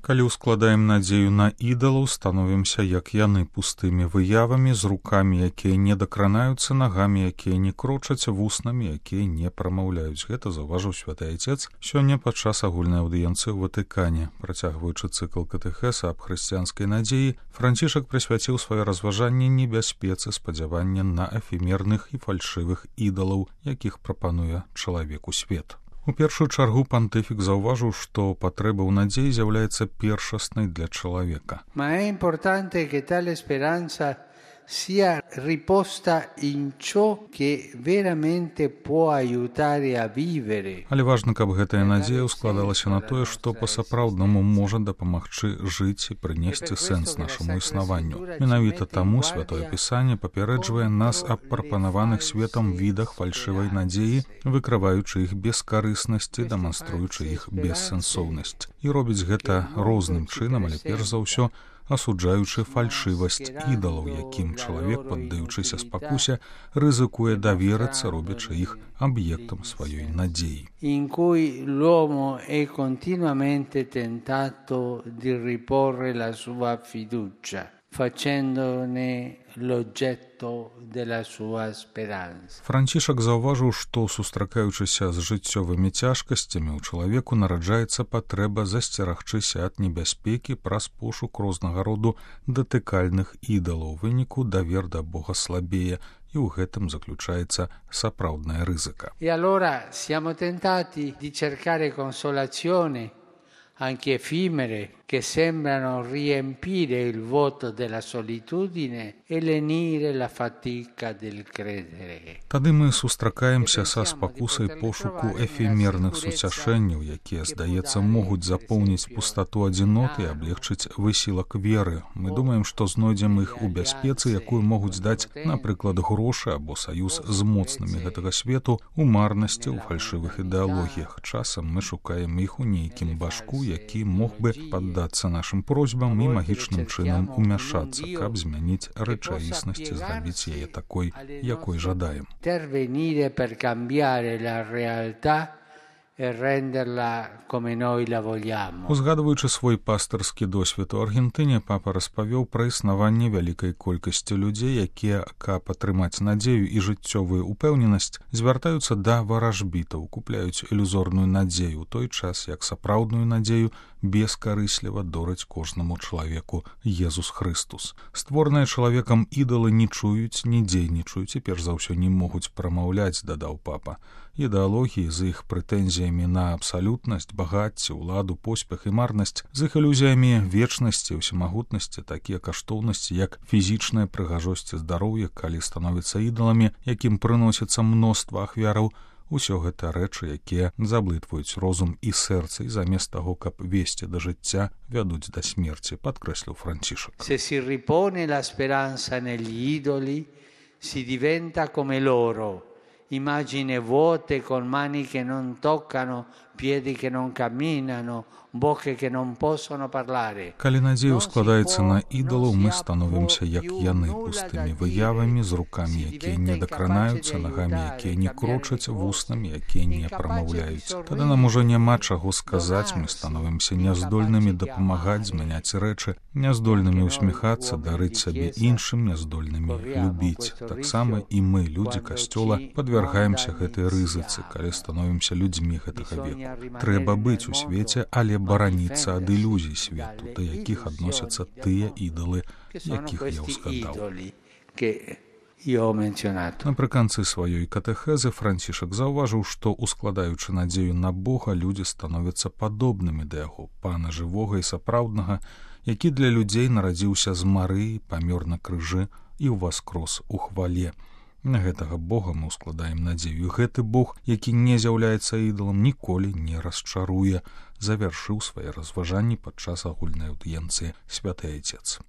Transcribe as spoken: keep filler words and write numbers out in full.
Калі ўскладаем надзею на ідалаў, становімся, як яны, пустымі выявамі, з рукамі, якія не дакранаюцца, нагамі, якія не крочаць, вуснамі, якія не прамаўляюць. Гэта заўважыў святы Айцец сёння падчас агульнай аўдыенцыі ў Ватыкане. Працягваючы цыкл катэхеса аб хрысціянскай надзеі, Францішак прысвяціў сваё разважанне небяспецы спадзявання на эфемерных і фальшывых ідалаў, якіх прапануе чалавеку свет. У першую чаргу пантыфік заўважыў, што патрэба ў надзеі з'яўляецца першаснай для чалавека. Ma è importante che tale speranza sia riposta in ciò che veramente può aiutare a vivere. Але важна, каб гэтая надзея складалася на тое, што па-сапраўднаму можа дапамагчы жыць і прынесці сэнс нашаму існаванню. Менавіта таму Святое Пісанне папярэджвае нас аб прапанаваных светам відах фальшывай надзеі, выкрываючы іх бескарыснасці, дэманструючы іх бессэнсоўнасць. І робіць гэта розным чынам, але перш за ўсё асуджаючы фальшывасць ідалаў, якім чалавек, паддаючыся спакусе, рызыкуе даверыцца, робячы іх аб'ектам сваёй надзеі. In cui l'uomo è continuamente tentato di riporre la sua fiducia, facendone l'oggetto della sua speranza. Францішак заўважыў, што, сустракаючыся з жыццёвымі цяжкасцямі, у чалавеку нараджаецца патрэба засцерагчыся ад небяспекі праз пошук рознага роду датыкальных ідалаў. У выніку давер да Бога слабее, і ў гэтым заключаецца сапраўдная рызыка. E allora siamo tentati di cercare consolazione, anche effimere, che sembrano riempire il vuoto della solitudine e lenire la fatica del credere. Тады мы сустракаемся са спакусай пошуку эфемерных суцяшэнняў, якія, здаецца, могуць запоўніць пустату адзіноты і аблегчыць высілак веры. Мы думаем, што знойдзем іх у бяспецы, якую могуць даць, напрыклад, грошы або саюз з моцнымі гэтага свету, у марнасці, у фальшывых ідэалогіях. Часам мы шукаем іх у нейкім башку, які мог бы паддацца нашым просьбам і магічным чынам умяшацца, каб змяніць рэчаіснасць і зрабіць яе такой, якой жадаем. Intervenire per cambiare la realtà e renderla come noi la vogliamo. Узгадваючы свой пастырскі досвед у Аргентыне, папа распавёў пра існаванне вялікай колькасці людзей, якія, каб атрымаць надзею і жыццёвую упэўненасць, звяртаюцца да варажбітаў, купляюць ілюзорную надзею, у той час, як сапраўдную надзею бескарысліва дораць кожнаму чалавеку Езус Хрыстус. Створаныя чалавекам ідалы не чуюць, не дзейнічаюць і перш за ўсё не могуць прамаўляць, дадаў папа. Ідэалогіі з іх прэтэнзіямі на абсалютнасць, багацце, уладу, поспех і марнасць, з іх ілюзіямі вечнасці, усемагутнасці, такія каштоўнасці, як фізічная прыгажосць і здароўе, калі становяцца ідаламі, якім прыносіцца мноства ахвяраў, усё гэта рэчы, якія заблытваюць розум і сэрца, і замест таго, каб весці да жыцця, вядуць да смерці, падкрэсліў Францішак. Se si ripone la speranza negli idoli, si diventa come loro, immagini vuote con mani che non toccano, piedi che non camminano, bocche che non possono parlare. Калі надзея складаецца на ідалаў, мы становімся, як яны, пустымі выявамі, з рукамі, якія не дакранаюцца, нагамі, якія не крочаць, вуснамі, якія не прамаўляюць. Тады нам ужо няма чаго сказаць, мы становімся няздольнымі дапамагаць, змяняць рэчы, няздольнымі усміхацца, дарыць сабе іншым, няздольнымі любіць. Таксама і мы, людзі касцёла, падвяргаемся гэтай рызыцы, калі становімся людзьмі гэтага веку. Трэба быць у свеце, але бараніцца ад ілюзій свету, да якіх адносяцца тыя ідалы, якіх я ўзгадаў. Напрыканцы сваёй катэхезы Францішак заўважыў, што, ускладаючы надзею на Бога, людзі становяцца падобнымі да яго, пана жывога і сапраўднага, які для людзей нарадзіўся з Марыі, памёр на крыжы і ўваскрос у хвале. На гэтага Бога мы ўскладаем надзею. Гэты Бог, які не з'яўляецца ідалам, ніколі не расчаруе, завяршыў свае разважанні падчас агульнай аўдыенцыі святы Айцец.